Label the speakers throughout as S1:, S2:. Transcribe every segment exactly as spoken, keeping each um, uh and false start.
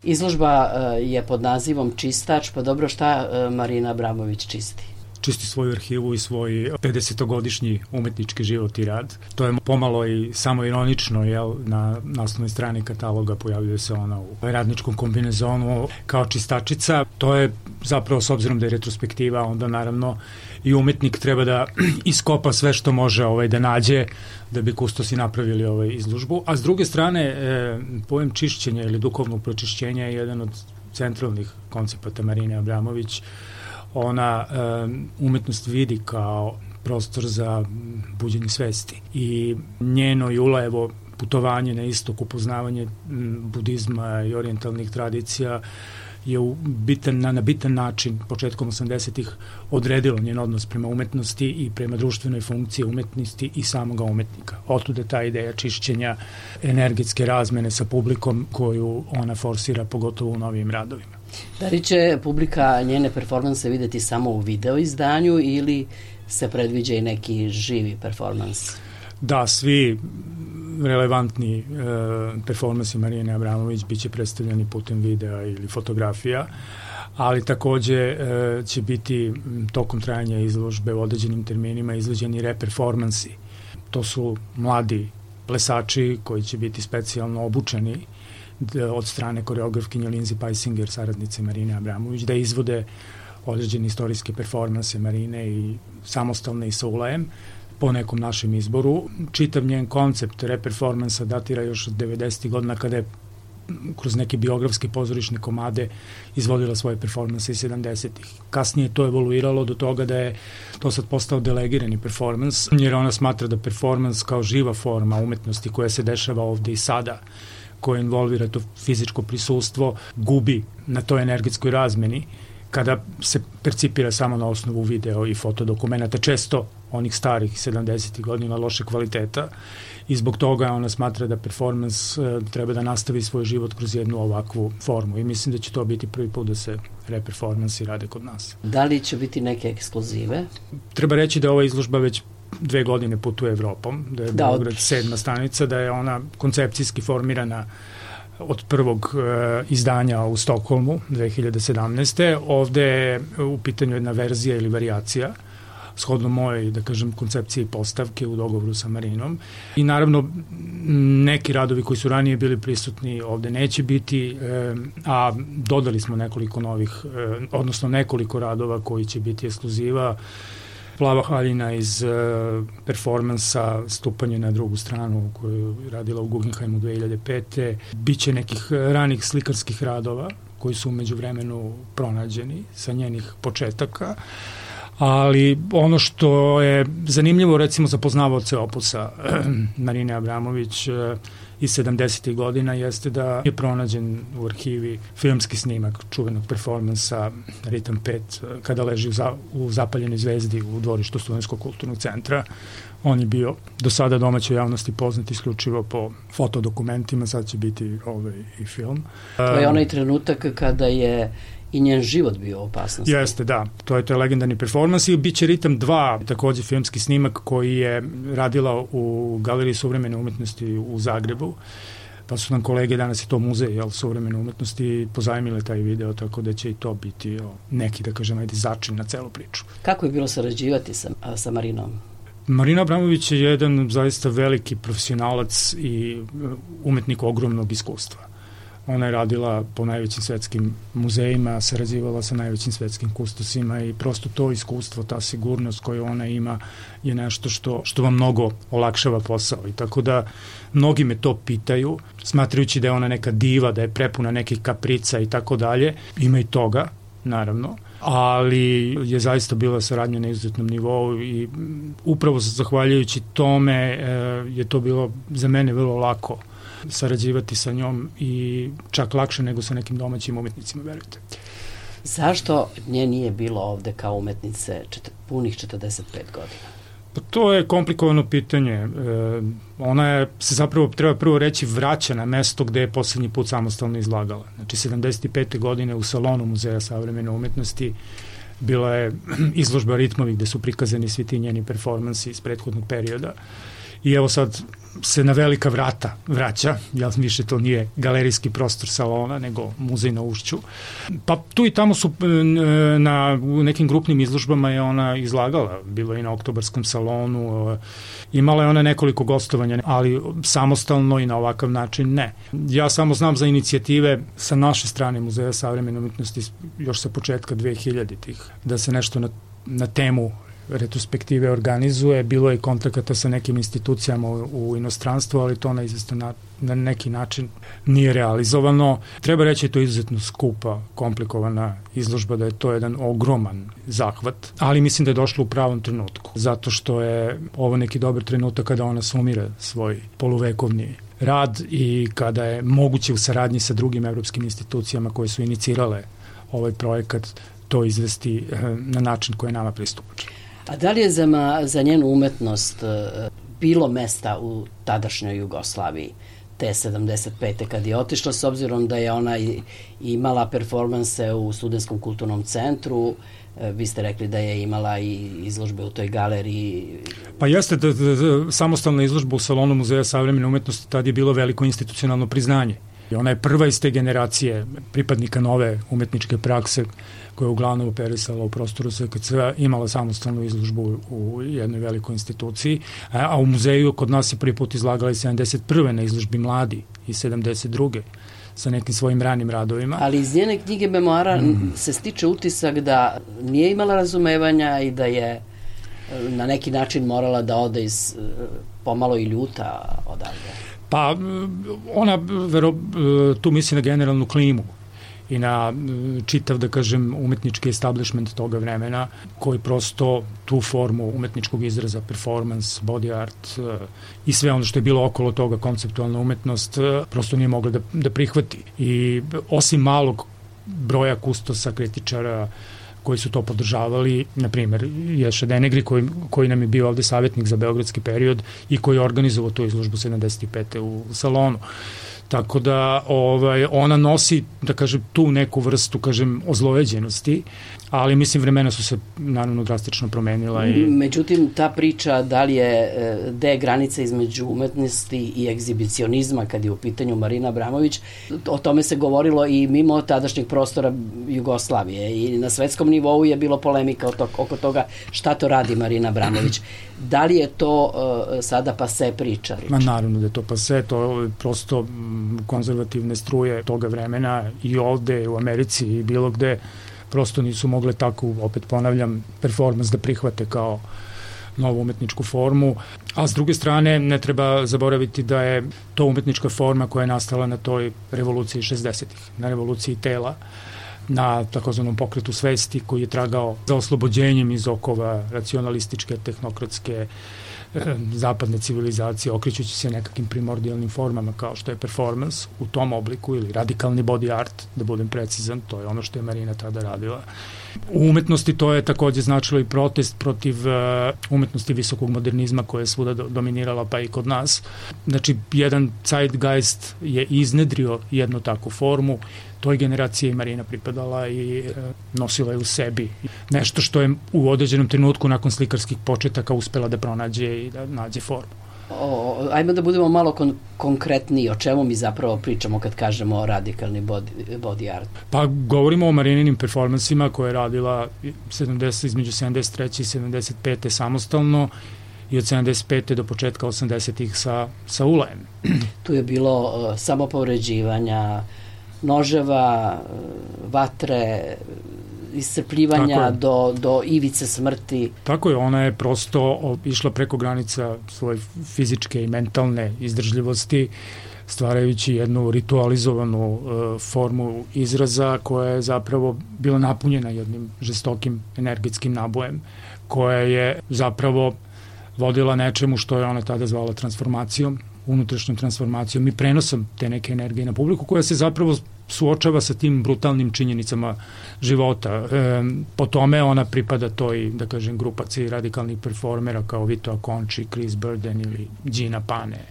S1: Izložba je pod nazivom Čistač, pa dobro, šta Marina Abramović čisti?
S2: Čisti svoju arhivu i svoj pedesetogodišnji umetnički život i rad. To je pomalo i samo ironično, jel, na naslovnoj strani kataloga pojavljuje se ona u radničkom kombinezonu kao čistačica. To je zapravo, s obzirom da je retrospektiva, onda naravno i umetnik treba da iskopa sve što može ovaj, da nađe da bi kustosi napravili ovaj izložbu. A s druge strane, e, pojem čišćenja ili duhovnog pročišćenja je jedan od centralnih koncepata Marine Abramović. Ona um, umetnost vidi kao prostor za buđenje svesti i njeno Julajevo putovanje na istok, upoznavanje budizma i orijentalnih tradicija je u bitan, na, na bitan način početkom osamdesetih odredilo njen odnos prema umetnosti i prema društvenoj funkciji umetnosti i samoga umetnika. Otuda ta ideja čišćenja, energetske razmene sa publikom koju ona forsira pogotovo u novim radovima.
S1: Da li će publika njene performanse videti samo u video izdanju ili se predviđa i neki živi performans?
S2: Da, svi relevantni e, performansi Marine Abramović biće predstavljeni putem videa ili fotografija, ali takođe e, će biti tokom trajanja izložbe u određenim terminima izvođeni reperformansi. To su mladi plesači koji će biti specijalno obučeni od strane koreografkinje Lindsay Paisinger, saradnice Marine Abramović, da izvode određene istorijske performanse Marine i samostalne i sa ulajem po nekom našem izboru. Čitav njen koncept reperformansa datira još od devedesetih godina kada je kroz neke biografske pozorišne komade izvodila svoje performanse iz sedamdesetih. Kasnije to evoluiralo do toga da je to sad postao delegirani performans, jer ona smatra da performans kao živa forma umetnosti koja se dešava ovde i sada, koje involvira to fizičko prisustvo, gubi na toj energetskoj razmeni kada se percipira samo na osnovu video i fotodokumenata, često onih starih sedamdesetih godina loše kvaliteta, i zbog toga ona smatra da performans treba da nastavi svoj život kroz jednu ovakvu formu i mislim da će to biti prvi put da se reperformansi rade kod nas.
S1: Da li će biti neke ekskluzive?
S2: Treba reći da je ova izložba već dve godine putuje Evropom, da je Beograd sedma stanica, da je ona koncepcijski formirana od prvog e, izdanja u Stokholmu dve hiljade sedamnaeste. Ovde je u pitanju jedna verzija ili varijacija shodno moje, da kažem, koncepcije i postavke u dogovoru sa Marinom. I naravno, neki radovi koji su ranije bili prisutni ovde neće biti, e, a dodali smo nekoliko novih, e, odnosno nekoliko radova koji će biti ekskluziva. Plava haljina iz uh, performansa Stupanje na drugu stranu koju je radila u Guggenheimu dve hiljade pete. Biće nekih ranih slikarskih radova koji su umeđu vremenu pronađeni sa njenih početaka, ali ono što je zanimljivo recimo za poznavaoce opusa Marine Abramović iz sedamdesetih godina jeste da je pronađen u arhivi filmski snimak čuvenog performansa Ritam pet kada leži u, za, u zapaljenoj zvezdi u dvorištu Studentskog kulturnog centra. On je bio do sada domaćoj javnosti poznat isključivo po fotodokumentima, sad će biti ovaj i film.
S1: To je onaj trenutak kada je i njen život bio u opasnosti.
S2: Jeste, da. To je taj legendarni performans i biće Ritam dva, takođe filmski snimak koji je radila u Galeriji suvremene umetnosti u Zagrebu. Pa su nam kolege, danas je to muzej, jel, suvremene umetnosti, pozajmile taj video, tako da će i to biti o, neki, da kažem, ajde, začin na celu priču.
S1: Kako je bilo sarađivati sa, sa Marinom?
S2: Marina Abramović je jedan zaista veliki profesionalac i umetnik ogromnog iskustva. Ona je radila po najvećim svetskim muzejima, sarađivala sa najvećim svetskim kustosima i prosto to iskustvo, ta sigurnost koju ona ima je nešto što, što vam mnogo olakšava posao. I tako da mnogi me to pitaju, smatrajući da je ona neka diva, da je prepuna nekih kaprica i tako dalje. Ima i toga, naravno, ali je zaista bila saradnja na izuzetnom nivou i upravo zahvaljujući tome je to bilo za mene vrlo lako sarađivati sa njom i čak lakše nego sa nekim domaćim umetnicima, verujte.
S1: Zašto nje nije bilo ovde kao umetnice čet, punih četrdeset pet godina?
S2: Pa to je komplikovano pitanje. E, ona je se zapravo, treba prvo reći, vraća na mesto gde je poslednji put samostalno izlagala. Znači, sedamdeset pete godine u salonu Muzeja savremene umetnosti bila je izložba Ritmovi gde su prikazani svi ti njeni performansi iz prethodnog perioda. i evo sad se na velika vrata vraća, ja više to nije galerijski prostor salona, nego muzej na Ušću. Pa tu i tamo su na u nekim grupnim izložbama je ona izlagala, bilo je i na Oktobarskom salonu, imala je ona nekoliko gostovanja, ali samostalno i na ovakav način ne. Ja samo znam za inicijative sa naše strane Muzeja savremene umetnosti još sa početka dvehiljaditih, da se nešto na, na temu retrospektive organizuje, bilo je kontakata sa nekim institucijama u, u inostranstvu, ali to na izvestan na, na neki način nije realizovano. Treba reći da je to izuzetno skupa, komplikovana izložba, da je to jedan ogroman zahvat, ali mislim da je došlo u pravom trenutku, zato što je ovo neki dobar trenutak kada ona sumira svoj poluvekovni rad i kada je moguće u saradnji sa drugim evropskim institucijama koje su inicirale ovaj projekat to izvesti na način koji je nama pristupačan.
S1: A da li je za, ma, za njenu umetnost bilo mesta u tadašnjoj Jugoslaviji te sedamdeset pete kad je otišla, s obzirom da je ona imala performanse u Studentskom kulturnom centru, vi ste rekli da je imala i izložbe u toj galeriji.
S2: Pa jeste, da, da, da, samostalna izložba u salonu Muzeja savremene umetnosti, tad je bilo veliko institucionalno priznanje. I ona je prva iz te generacije pripadnika nove umetničke prakse koja je uglavnom operisala u prostoru S K C-a, imala samostalnu izložbu u jednoj velikoj instituciji, a u muzeju kod nas je prvi put izlagala i sedamdeset prve na izložbi Mladi i sedamdeset druge sa nekim svojim ranim radovima.
S1: Ali iz njene knjige memoara mm. se stiče utisak da nije imala razumevanja i da je na neki način morala da ode iz pomalo i ljuta odavde.
S2: Pa ona vero, tu misli na generalnu klimu i na čitav, da kažem, umetnički establishment toga vremena koji prosto tu formu umetničkog izraza, performance, body art i sve ono što je bilo okolo toga, konceptualna umetnost, prosto nije mogla da, da prihvati. I osim malog broja kustosa, kritičara koji su to podržavali, na primjer Ješa Denegri koji, koji nam je bio ovde savjetnik za beogradski period i koji je organizovao tu izložbu sedamdeset pete u salonu. Tako da ovaj, ona nosi, da kažem, tu neku vrstu, kažem, ozlojeđenosti, ali mislim vremena su se naravno drastično promenila. I...
S1: Međutim, ta priča da li je, da je granica između umetnosti i egzibicionizma kad je u pitanju Marina Abramović, o tome se govorilo i mimo tadašnjeg prostora Jugoslavije i na svetskom nivou je bilo polemika oko toga šta to radi Marina Abramović. Da li je to uh, sada pase priča?
S2: Ma naravno da je to pase, to je prosto konzervativne struje toga vremena i ovde u Americi i bilo gde prosto nisu mogle tako, opet ponavljam, performans da prihvate kao novu umetničku formu, a s druge strane ne treba zaboraviti da je to umetnička forma koja je nastala na toj revoluciji šezdesetih, na revoluciji tela, na takozvanom pokretu svesti koji je tragao za oslobođenjem iz okova racionalističke, tehnokratske, zapadne civilizacije, okrećući se nekakvim primordijalnim formama kao što je performance u tom obliku ili radikalni body art, da budem precizan, to je ono što je Marina tada radila. U umetnosti to je takođe značilo i protest protiv uh, umetnosti visokog modernizma koja je svuda do, dominirala pa i kod nas. Znači, jedan zeitgeist je iznedrio jednu takvu formu, toj generaciji je Marina pripadala i uh, nosila je u sebi nešto što je u određenom trenutku nakon slikarskih početaka uspela da pronađe i da nađe formu.
S1: O, ajmo da budemo malo kon- konkretniji, o čemu mi zapravo pričamo kad kažemo radikalni body, body art.
S2: Pa govorimo o Marininim performansima koje je radila sedamdeset, između sedamdeset treće i sedamdeset pete samostalno i od sedamdeset pete do početka osamdesetih sa, sa ulajem.
S1: Tu je bilo uh, samopovređivanja, noževa, uh, vatre, iscrpljivanja do, do ivice smrti.
S2: Tako je, ona je prosto išla preko granica svoje fizičke i mentalne izdržljivosti, stvarajući jednu ritualizovanu uh, formu izraza koja je zapravo bila napunjena jednim žestokim energetskim nabojem, koja je zapravo vodila nečemu što je ona tada zvala transformacijom, unutrašnjom transformacijom i prenosom te neke energije na publiku koja se zapravo suočava sa tim brutalnim činjenicama života. E, po tome ona pripada toj, da kažem, grupaciji radikalnih performera kao Vito Acconci, Chris Burden ili Gina Pane.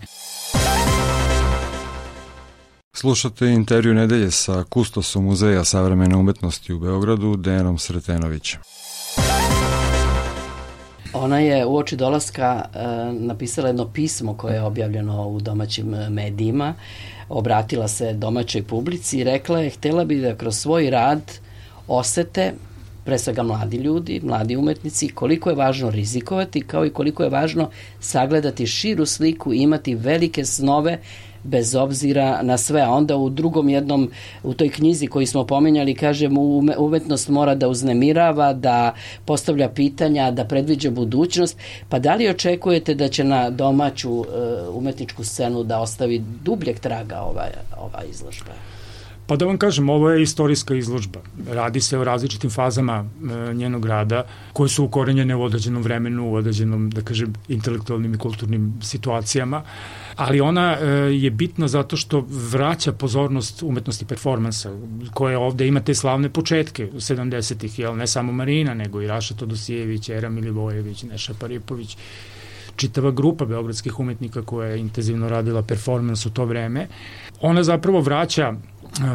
S3: Slušate intervju nedelje sa kustosom Muzeja savremene umetnosti u Beogradu, Dejanom Sretenovićem.
S1: Ona je uoči dolaska e, napisala jedno pismo koje je objavljeno u domaćim medijima, obratila se domaćoj publici i rekla je, htela bi da kroz svoj rad osete, pre svega mladi ljudi, mladi umetnici, koliko je važno rizikovati, kao i koliko je važno sagledati širu sliku i imati velike snove bez obzira na sve. A onda u drugom jednom, u toj knjizi koju smo pominjali, kažem, umetnost mora da uznemirava, da postavlja pitanja, da predviđa budućnost. Pa da li očekujete da će na domaću uh, umetničku scenu da ostavi dubljeg traga ova, ova izložba?
S2: Pa da vam kažem, ovo je istorijska izložba. Radi se o različitim fazama e, njenog rada koje su ukorenjene u određenom vremenu, u određenom, da kažem, intelektualnim i kulturnim situacijama, ali ona e, je bitna zato što vraća pozornost umetnosti performansa, koje ovde ima te slavne početke u sedamdesetih, jel, ne samo Marina, nego i Raša Todosijević, Era Milivojević, Neša Paripović, čitava grupa beogradskih umetnika koja je intenzivno radila performans u to vreme. Ona zapravo vraća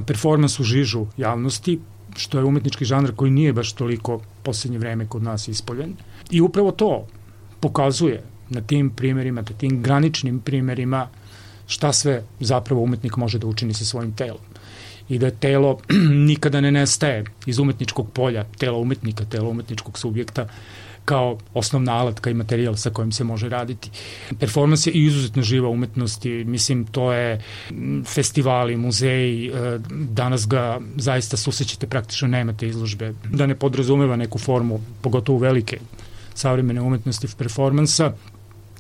S2: performans u žižu javnosti, što je umetnički žanr koji nije baš toliko poslednje vreme kod nas ispoljen. I upravo to pokazuje na tim primerima, na tim graničnim primerima šta sve zapravo umetnik može da učini sa svojim telom. I da je telo nikada ne nestaje iz umetničkog polja, tela umetnika, tela umetničkog subjekta, kao osnovna alatka i materijal sa kojim se može raditi. Performans je izuzetno živa umetnost i mislim to je festivali, muzeji, danas ga zaista susrećete, praktično nemate izložbe, da ne podrazumeva neku formu, pogotovo velike savremene umetnosti performansa,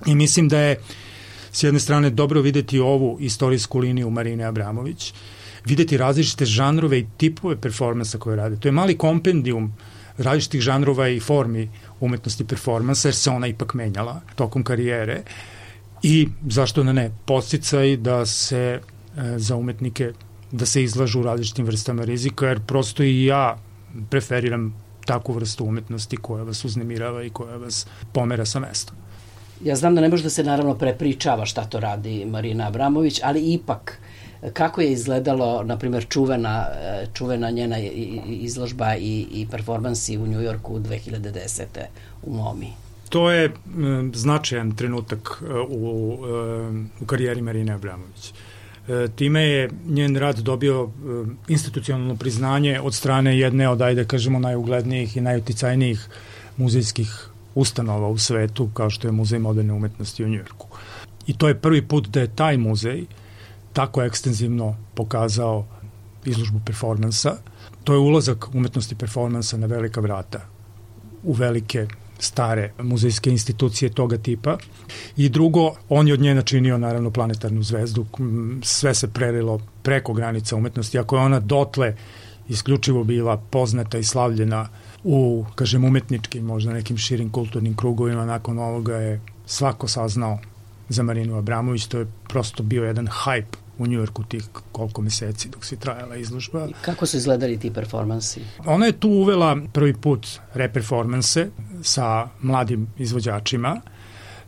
S2: i mislim da je s jedne strane dobro videti ovu istorijsku liniju Marine Abramović, videti različite žanrove i tipove performansa koje rade. To je mali kompendijum različitih žanrova i formi umetnosti performansa, jer se ona ipak menjala tokom karijere, i zašto da ne, podsticaj da se e, za umetnike da se izlažu u različitim vrstama rizika, jer prosto i ja preferiram takvu vrstu umetnosti koja vas uznemirava i koja vas pomera sa mesta.
S1: Ja znam da ne može da se naravno prepričava šta to radi Marina Abramović, ali ipak kako je izgledalo, na primjer, čuvena, čuvena njena izložba i, i performansi u Njujorku dve hiljade desete u MoMI?
S2: To je m, značajan trenutak u, u karijeri Marine Abramović. E, time je njen rad dobio e, institucionalno priznanje od strane jedne od, ajde kažemo, najuglednijih i najuticajnijih muzejskih ustanova u svetu, kao što je Muzej moderne umetnosti u Njujorku. I to je prvi put da je taj muzej tako ekstenzivno pokazao izložbu performansa. To je ulazak umetnosti performansa na velika vrata u velike stare muzejske institucije toga tipa. I drugo, on je od nje načinio naravno planetarnu zvezdu. Sve se prelilo preko granica umetnosti. Ako je ona dotle isključivo bila poznata i slavljena u, kažem, umetničkim, možda nekim širim kulturnim krugovima, nakon ovoga je svako saznao za Marinu Abramović. To je prosto bio jedan hype u Njujorku tih koliko meseci dok se trajala izložba.
S1: Kako su izgledali ti performansi?
S2: Ona je tu uvela prvi put reperformanse sa mladim izvođačima.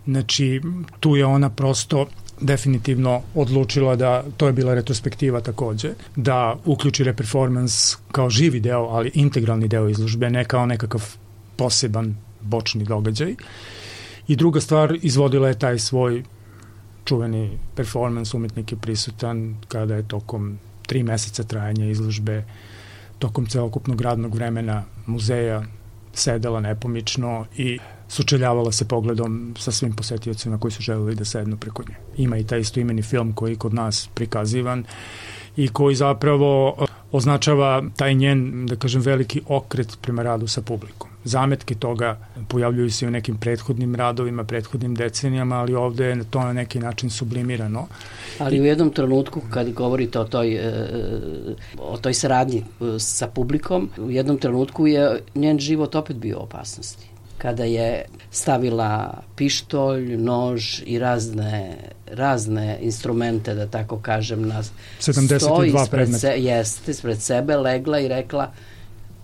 S2: Znači, tu je ona prosto definitivno odlučila da, to je bila retrospektiva takođe, da uključi reperformans kao živi deo, ali integralni deo izložbe, ne kao nekakav poseban bočni događaj. I druga stvar, izvodila je taj svoj čuveni performans, umetnik je prisutan kada je tokom tri meseca trajanja izložbe, tokom celokupnog radnog vremena muzeja sedela nepomično i sučeljavala se pogledom sa svim posetiocima koji su želeli da sednu preko nje. Ima i taj istoimeni film koji je kod nas prikazivan i koji zapravo označava taj njen, da kažem, veliki okret prema radu sa publikom. Zametke toga pojavljuju se u nekim prethodnim radovima, prethodnim decenijama, ali ovde je to na neki način sublimirano.
S1: Ali u jednom trenutku, kad govorite o toj, o toj saradnji sa publikom, u jednom trenutku je njen život opet bio u opasnosti. Kada je stavila pištolj, nož i razne, razne instrumente, da tako kažem, na
S2: sedamdeset dva predmeta.
S1: Se, jeste, ispred sebe legla i rekla: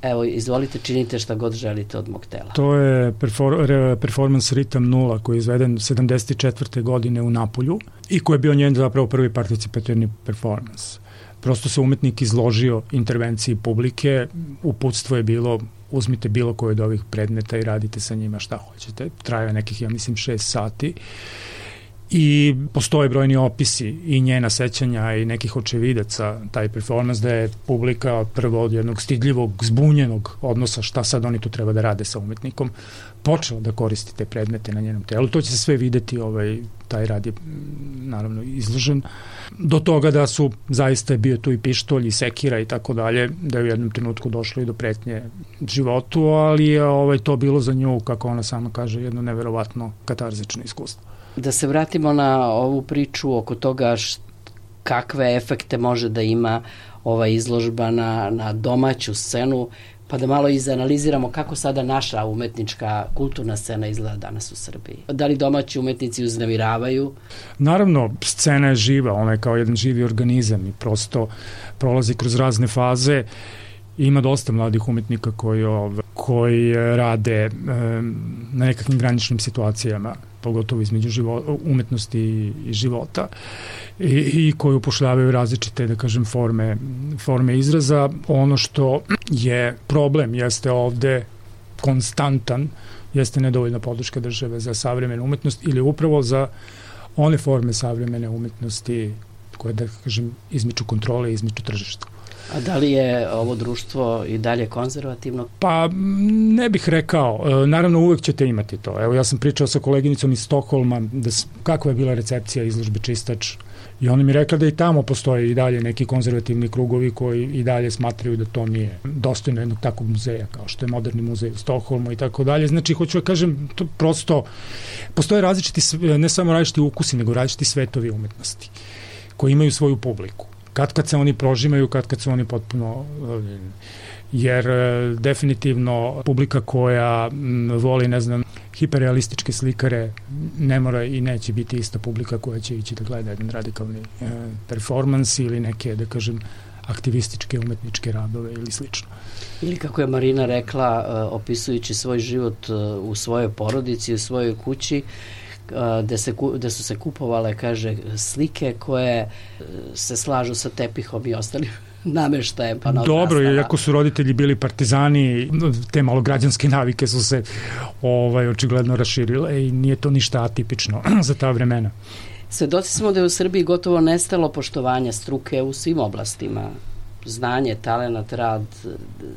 S1: evo, izvolite, činite šta god želite od mog tela.
S2: To je perfor, re, performans Ritam nula koji je izveden sedamdeset četvrte godine u Napolju i koji je bio njen zapravo prvi participativni performans. Prosto se umetnik izložio intervenciji publike, uputstvo je bilo uzmite bilo koji od ovih predmeta i radite sa njima šta hoćete. Traje nekih, ja mislim, šest sati. I postoje brojni opisi i njena sećanja i nekih očevidaca, taj performans, da je publika prvo od jednog stidljivog, zbunjenog odnosa šta sad oni tu treba da rade sa umetnikom, počela da koristi te predmete na njenom telu. To će se sve videti, ovaj, taj rad je naravno izložen. Do toga da su zaista bio tu i pištolj i sekira i tako dalje, da je u jednom trenutku došlo i do pretnje životu, ali je ovaj, to bilo za nju, kako ona sama kaže, jedno neverovatno katarzično iskustvo.
S1: Da se vratimo na ovu priču oko toga št, kakve efekte može da ima ova izložba na, na domaću scenu, pa da malo izanaliziramo kako sada naša umetnička kulturna scena izgleda danas u Srbiji. Da li domaći umetnici uznemiravaju?
S2: Naravno, scena je živa, ona je kao jedan živi organizam i prosto prolazi kroz razne faze. Ima dosta mladih umetnika koji, koji rade na nekakvim graničnim situacijama, pogotovo između života, umetnosti i života, i, i koji upošljavaju različite, da kažem, forme, forme izraza. Ono što je problem jeste ovde konstantan, jeste nedovoljna podrška države za savremenu umetnost ili upravo za one forme savremene umetnosti koje, da kažem, izmiču kontrole i izmiču tržišta.
S1: A da li je ovo društvo i dalje konzervativno?
S2: Pa ne bih rekao. Naravno, uvek ćete imati to. Evo, ja sam pričao sa koleginicom iz Stokholma da, kakva je bila recepcija izložbe Čistač i ona mi rekla da i tamo postoje i dalje neki konzervativni krugovi koji i dalje smatraju da to nije dostojno jednog takvog muzeja kao što je Moderni muzej u Stokholmu i tako dalje. Znači, hoću da kažem, to prosto postoje različiti, ne samo različiti ukusi, nego različiti svetovi umetnosti koji imaju svoju publiku. Kad kad se oni prožimaju, kad kad su oni potpuno, jer definitivno publika koja voli, ne znam, hiperrealističke slikare ne mora i neće biti ista publika koja će ići da gleda jedan radikalni e, performans ili neke, da kažem, aktivističke umetničke radove ili slično.
S1: Ili kako je Marina rekla, opisujući svoj život u svojoj porodici, u svojoj kući, da, se, da su se kupovale, kaže, slike koje se slažu sa tepihom i ostalim nameštajem. Pa
S2: dobro, iako su roditelji bili partizani, te malograđanske navike su se ovaj, očigledno raširile i nije to ništa atipično za ta vremena.
S1: Svedoci smo da je u Srbiji gotovo nestalo poštovanja struke u svim oblastima. Znanje, talenat, rad.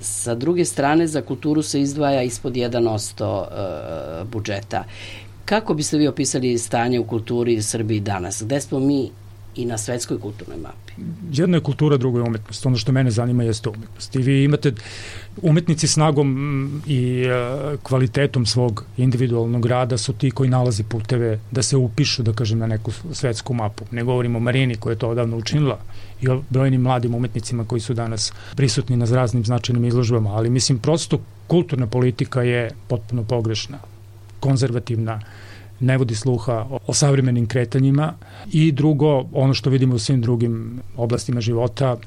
S1: Sa druge strane, za kulturu se izdvaja ispod jedan posto budžeta. Kako biste vi opisali stanje u kulturi Srbiji danas? Gde smo mi i na svetskoj kulturnoj mapi?
S2: Jedna je kultura, druga je umetnost. Ono što mene zanima jeste umetnost. I vi imate umetnici snagom i kvalitetom svog individualnog rada su ti koji nalazi puteve da se upišu, da kažem, na neku svetsku mapu. Ne govorimo o Marini koja je to odavno učinila i o brojnim mladim umetnicima koji su danas prisutni na raznim značajnim izložbama, ali mislim prosto kulturna politika je potpuno pogrešna, konzervativna, ne vodi sluha o, o savremenim kretanjima i drugo, ono što vidimo u svim drugim oblastima života,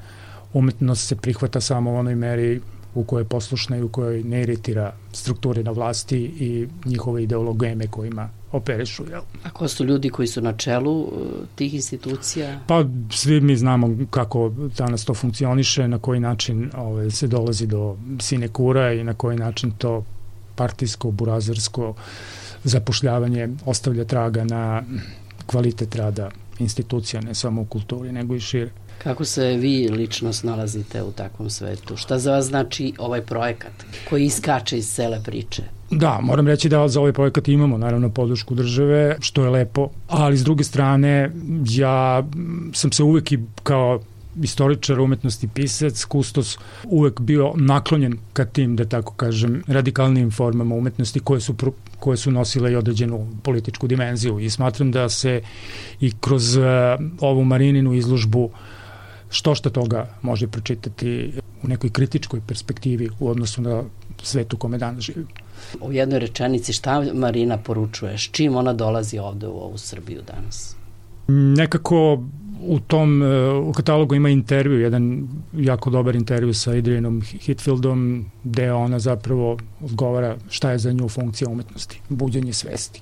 S2: umetnost se prihvata samo u onoj meri u kojoj je poslušna i u kojoj ne iritira strukture na vlasti i njihove ideologeme kojima operišu. Jel?
S1: A ko su ljudi koji su na čelu tih institucija?
S2: Pa svi mi znamo kako danas to funkcioniše, na koji način ove, se dolazi do sinekura i na koji način to partijsko, burazersko zapošljavanje ostavlja traga na kvalitet rada institucija, ne samo u kulturi, nego i šire.
S1: Kako se vi lično snalazite u takvom svetu? Šta za vas znači ovaj projekat koji iskače iz cele priče?
S2: Da, moram reći da za ovaj projekat imamo naravno podršku države, što je lepo, ali s druge strane ja sam se uvek i kao istoričar umetnosti, pisac, kustos, uvek bio naklonjen ka tim, da tako kažem, radikalnim formama umetnosti koje su, koje su nosile i određenu političku dimenziju i smatram da se i kroz uh, ovu Marininu izložbu što šta toga može pročitati u nekoj kritičkoj perspektivi u odnosu na svet u kome danas živimo.
S1: U jednoj rečenici šta Marina poručuje, s čim ona dolazi ovde u ovu Srbiju danas?
S2: Nekako u tom u katalogu ima intervju, jedan jako dobar intervju sa Adrianom Hitfieldom, gde ona zapravo odgovara šta je za nju funkcija umetnosti, buđenje svesti.